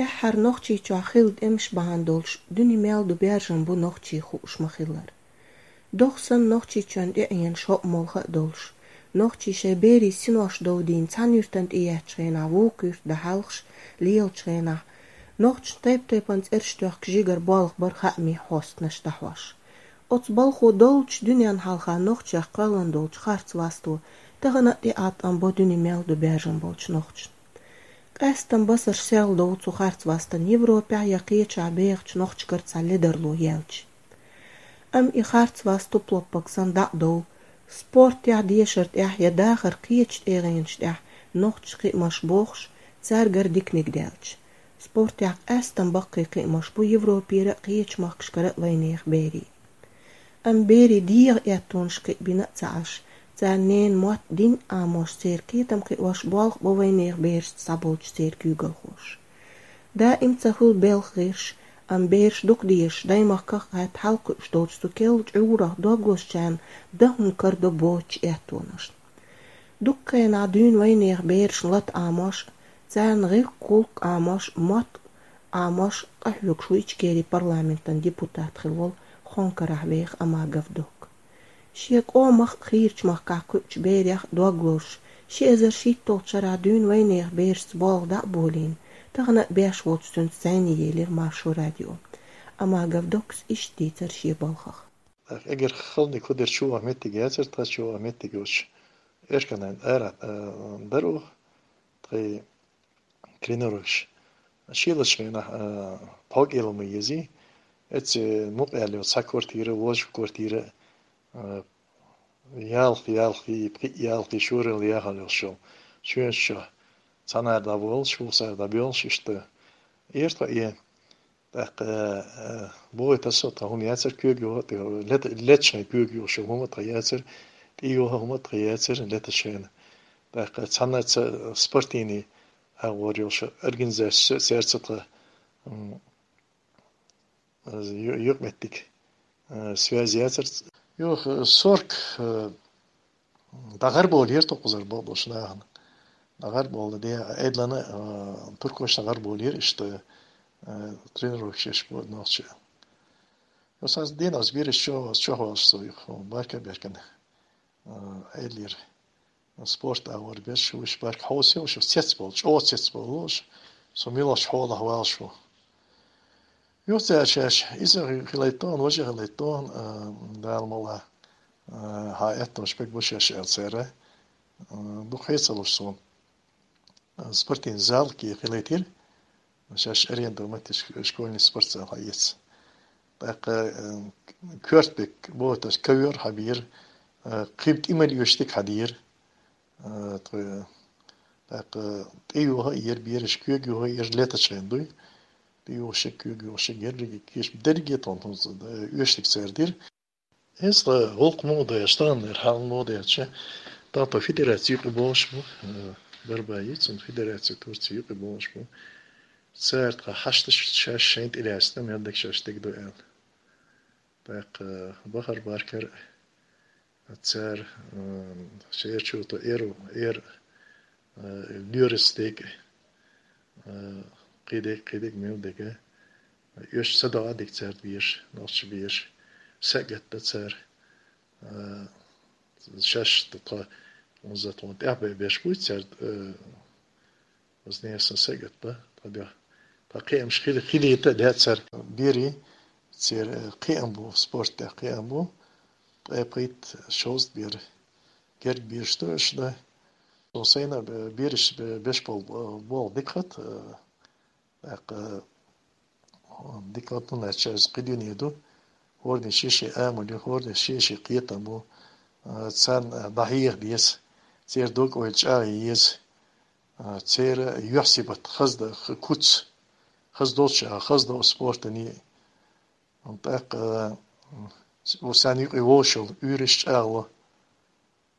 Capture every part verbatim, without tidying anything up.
Тӏеххьара Нохчийчохь хилла тӏемаш бахьана долуш дуьне мел ду баьржина бу нохчий хууш ма-хиллара. Дохсан Нохчийчоьнна тӏеӏена шо а молха а долуш, нохчий шайн берийн синош довдийна цхьана юьртана тӏееттачу хенахь вукху юьрта дӏахьалхаш лелачу хенахь, нохчашна тайп-тайпана цӏераш тоьхкаш жигара болх бара хаамийн хьостанаш дӏахьош. Оцу балхо долчу дуьненна хьалха нохчех кхоьллина долчу харц васто тахана а тӏеӏаткъам бо дуьне мел ду баьржина болчу нохчашна. Къаьстина басарш селхадо цу харц вастана Европехь я кхечахь бехачу нохчашкара цхьа ледарло яьлча. Амма и харц васт туп-лоппаг санна дӏа а дов, спортехь, дешар тӏехь я дахаран кхечу тӏегӏенаш тӏехь нохчаша кхиамаш бохуш, цаьргара диканиг даьлча. Спортехь къаьстина баккхий кхиамаш бу Европера а, кхечу махкашкара а вайнехан берийн. Амма берийн дегӏан аьттонаш кхиа бина а ца Ӏаш, царна ненан мотт, дин а Ӏамош, церан кхетам кхиош болх бо вайнехан берашца схьаболчу церан куьйгалхоша. Даим ца хуьлу белхан гӏирс, амма бераш дукха дезаш, даймахках а гӏатта хьалакхуьуш долчу цу керла чӏурах дог лозучарна дан хӀума карадо боцучу аьттонашна. Дуккха хенахь дуьйна вайнехан берашна лата Ӏамош, царна гӏиллакх-гӏуллакх Ӏамош, мотт Ӏамош къахьоьгуш ву Ичкерин парламентан депутат хилла волу Хонкарахь веха Амагов Док. Шен къомах а, хийрачу махкахь кхуьучу берех а дог лозуш, ши эзар шийтталгӀачу шарахь дуьйна вайнехан берашца болх дӀа а болийна, тахана а беш воцу цуьнца зӀене елира Маршо радио. Амагов Докас иштта дийцира шен балхах. Эггара халониг хӀун дара, чувахь меттиг яцара, тхан чувахь меттиг йоцуш, Эшканан ара, а, дара оха, тхайн тренировкаш. Шийлачу хенахь, а, пхьо кӀело ма езий, эцци мукъаьлла йолу цхьа квартира, вожа квартира, а, ялх, ялх, пхиъ ялх, шоралла яхьал йолуш йолу. Чоьнаш чохь цхьанара дӀаболуш, вукхузара дӀабоьлхуш, иштта эр тхо и. ТӀаккха, а, бохуьйту аса, тхан хӀума яцара куьйга юха, тӀе лета-, летачу хенахь куьйга юха шо хӀума тхан яцара, тӀе юха хӀума тхан яцара летачу хенахь. ТӀаккха цхьана ца спортивный агӀор йолуш организаци цаьрца тхан, м, ю-, юкъаметтиг, а, связь яцара. Юха сорок, а, ДӀагӀарбовлийра тхо кхузара бакъдолчу нахана. ДӀагӀарбовла де, Ӏедална, а, туркошна дӀагӀарбовлийра иштта, а, тренировкаш еш бу нохчий. Йо, сан дийнахь бераш чо-, чохь волуш со юха, барка-беркана, а, Ӏедалера. Спорт агӀор берш вуьш барка хьовсийла, уьш цецбовла, чӀогӀа цецбовла уьш, со муьлхачу хьолахь валаш ву. Юха цара шаьш, иза хи-, хилайта тахана, важа хилайта тахана, а, Дала мукъ лахь, а, хьан аьттонаш бегабо шаьш аьлла цара, а, дукха хьийца луш суна. А, спортивный зал кхе хилийтира, шаьш аренда меттиг школьный спортзал хьаэца. ТӀаккха, а, коьртабек бохуш ковёр хьабийра, а, кхин тӀе мел оьшург хьадийра, а, тхо, тӀаккха тӀе юха а йира бераш, куьйга юха а йира летачу хенахь дуй. ТӀе юха шиъ, куьйга юха шиъ, ерриге кийча, дерриге тхуна хӀунца, э, оьшург цара дира. Иза гӀуллакх муха ду аьлча, таханлера хьал муха ду аьлча, тахана тхо федераци юкъе болуш бу, э, Барбаи, цуьнан федераци Турци юкъе болуш бу. Цара тхан хьашташ шаьш шайна тӀелаьцна, мел дерг шаьш дерг ду аьлла. ТӀаккха бахара баркар Цара, м, шаьрачу ту эру, эр, э, лоьрас дерг, э, кхидерг, кхидерг мел дерг, э, оьшуш ца догӀа дерг цаьрга бераш, нохча бераш, сагатта цара, э, шаьш ту тхо, унза тхуна тӀехь бе-, беш буй цаьрга, э, Ознесан сагатта, тхо де-, тхо кхиамаш хили-, хилийта де цара. Бери, церан, э, кхиам бу, спорт тӀехь кхиам бу, ткъе пхийтта, шовзткъа бер, герга бераш ду, уьш ду. Со сайна, э, бераш, э, беш бол-, э, болу дика хат, э, тӀаккха, э, дика хат, ну, лаьтташ иза кхидуьне ду. ХӀордин шен-шен амал ю, хӀордин шен-шен кхетам бу. Э, царна, э, дӀахьеха деза, церан дог-ойла чӀагӀъе еза. А, церан юьхь-сибат хаза дан, х-, куц хаза долчча, хаза дан спортан. ТӀаккха, а, м, с-, сан юкъе вовшал, уьйраш чӀагӀло.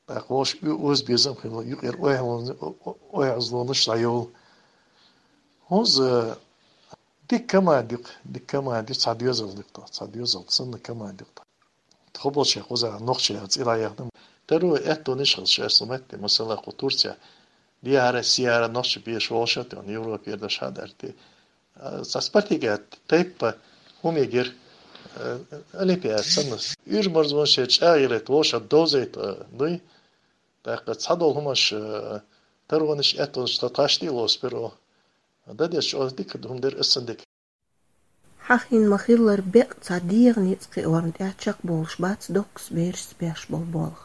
ТӀаккха вовш у-, оза безам хилла, юкъера ойхьалон-, о-, о-, ойхьазлонаш дӀайовла. ХӀунза дика команда юкъа, дика команда юкъа, цхьа доьзал дукха, цхьа доьзал санна команда юкъа. Тхо болчехь кхузахь нохчий цӀе дӀаяхна. Таро аьттонаш хилча, аса матте, масала, кху Турция, дехьара, сехьара нохчий беш волуш а тӀе, Европера даш хьадарте, Цхьа спартакиада тайпа хӀума эгира, э, олимпиада санна. Уьйр-марзонаш чӀагӀъялийта, вовшашца довзийта, э, дуй. ТӀаккха цхьадолу хӀуманаш, э, таронаш, аьттонаш тхан тхаьш тӀе а лоцу перо. Дан деза чӀогӀа дика хӀума дара, аса сан дика. Хьахийна ма-хиллара, беккъа цхьа дегӀан ницкъ кхиорна тӀехь чекхболуш бац Доккас берашца беш болу болх.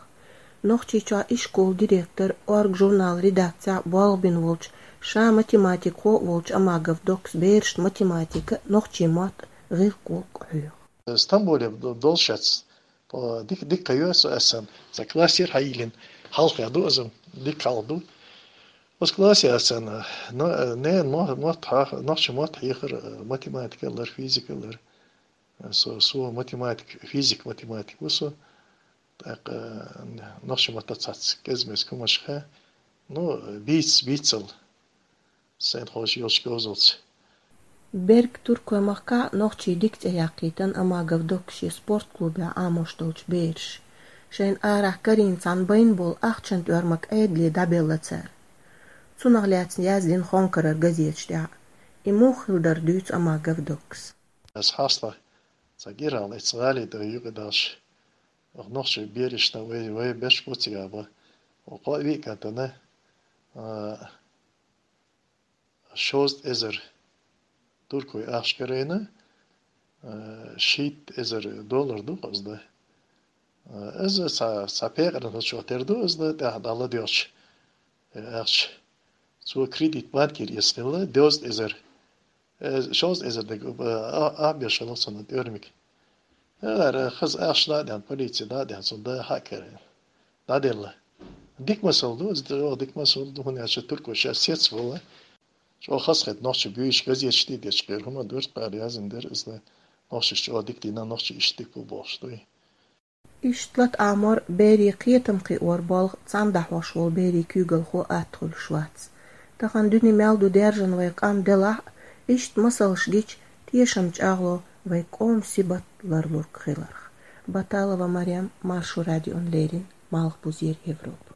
Нохчийчохь ишколан директор, «Орга» журналан редакцехь болх бина волчу, ша математикхо а волчу Амагов Доккас берашна математика, нохчийн мотт, гӀиллакх-гӀуллакх хьоьху. Стамбуле долуш яц, дика, дика кхайо со, аса сан, сан классера хьайиллина, хьалха ду аса, дика хьалха ду. Оцу классе аса сан, но, ненан мо-, мотт хьа-, нохчийн мотт хьехар, э, математика лар, физика лар. Э, со, со математик, физик, математик ву со. ТӀаккха, э, нохчийн маттахь цхьацца кӀезмес хӀуманаш хаа. Ну, бийц-, бийцал. Сайна хозуш йолчу говзалц. Берг Туркойн махкахь нохчий дика цӀе яьккхийтина Амагов Доккас шен спорт клубехь Ӏамош долчу бераша. Шайна арахь карийна цхьана байна болу ахчанан тӀоьрмаг Ӏедале дӀабелла цара. Цунах лаьцна яздина Хонкарара газеташ тӀехь. И муха хилла дара дуьйцу Амагов Доккас. Аса хьастагӀа цхьа гирал эцу гӀали тӀе юкъа далш. Оха нохчий берашна вай, вай беш бу цига бан. Оха кхо а виъ кӀантана, а, шовзткъа эзар туркой ахча карийна, э, шийтта эзар доллар ду хаза дан. Э, иза цхьа, цхьа пекъаран хӀусамехь тера ду иза дан, тӀаьхьа дӀа ладоьгӀча, э, ахча. Цо кредит банкера эцна хилла, дезткъа эзар. Э, шовзткъа эзар дерг, э, а-, а беш хилла цунна тӀоьрмиг. Ара, хаза ахча дӀа а деана, полице дӀа а деана, цунна дан хьа а карийна. ДӀаделла. Дика масал ду, иза чӀогӀа дика масал ду, хӀунда аьлча туркой шаьш сецвала. ЧӀогӀа хазахета нохчий буьйцуш газеташ тӀе дечу кхера хӀума дара, цара яздина дара, иза нохчаша чӀогӀа дика дина, нохчий иштта дика бу бохуш дуй. Иштта лата Ӏамор берийн кхетам кхиор болх цхьаьна дӀахьош волу берийн куьйгалхо атта хуьлуш вац. Тахана дуьне мел ду даьржина вай къам делахь а, иштта масалш гича, тешам чӀагӀло вай къоман сибат ларлург хиларх. Баталова Марем, Маршо радиона леррина, Малхбузера Европа.